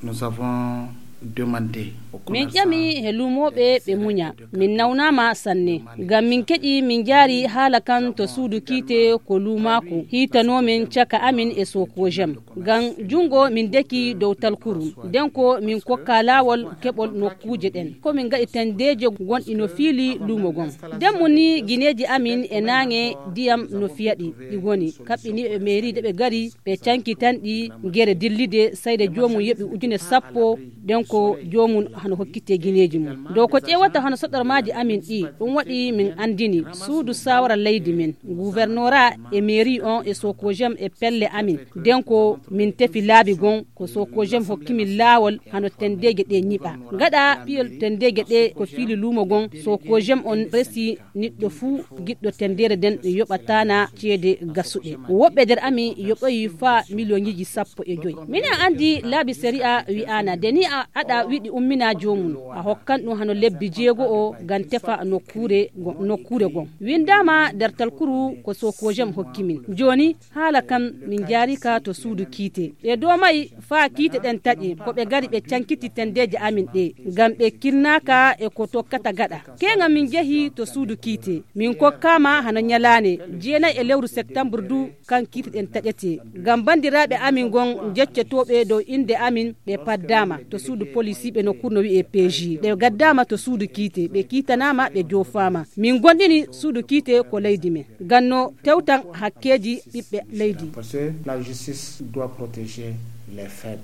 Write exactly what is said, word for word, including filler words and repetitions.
Nous avons demandé au min commerçant ƴami he luumooɓe ɓe muña. Min nawnaama sanne. Ngam min keɗi min njaari haala kan to suudu kiite ko luumaaku hiitanoo min caka amin e sokojem. Ngam junngo min deki dow talkuru. Nden ko min kokka laawol keɓol nokkuuje ɗen. Ko min ngaɗi tendeeje gonɗi no fiili luumo gon. Nden mu ni gineeji amin e naange ndiyam no fiyaɗi ɗi ngoni. Kaɓɓini ɓe meeri de ɓe ngari ɓe cankitanɗi gere dillide sayde joomum yoɓi ujune sappo. Nden ko joomum hano hokkite gineeji mum dow ko ƴeewata hano soɗormaaji amin ɗi. Ɗum waɗi min anndini suudu saawara leydi men, guvernora e meeri on e sokojem e pelle amin. Nden ko min tefi laabi gon ko sokojem hokkimin laawol hano tendeeje ɗe ñiɓa. Gaɗa piyol tendeeje ɗe ko fiili luumo gon sokojem on resi niɗɗo fuu giɗɗo tendere nden yoɓatana ceede gasuɗe. Woɓɓe nder amin yoɓoyi faa miliyoŋiji sappo e joyi. Minen anndi laabi sari'a wi'aana de ni a aɗa wiɗi ummina joomum a hokkan ɗum hano lebbi jeego o ngam tefa nokkuure gon. Winndaama nder talkuru ko sokojem hokkimin. Jooni haala kan min njaari ka to suudu kiite. Ɓe doomay faa kiite ɗen taƴe ko ɓe ngari ɓe cankiti tendeeje amin ɗe ngam ɓe kirnaaka e ko tokkata gaɗa. Keeŋa min njehi to suudu kiite min kokkaama hano ñalaande jeenay e lewru septambur du kan kiite ɗen taƴete. Ngam banndiraaɓe amin ngon njeccotooɓe dow innde amin ɓe paddaama to suudu polisiiɓe no kurno wi'e peeji ɓe gaddaama to suudu kiite ɓe kiitanaama ɓe joofaama. Min gonɗini suudu kiite ko leydi men ngam no tewtan hakkeeji ɓiɓɓe leydi. Parce que la justice doit protéger les faibles.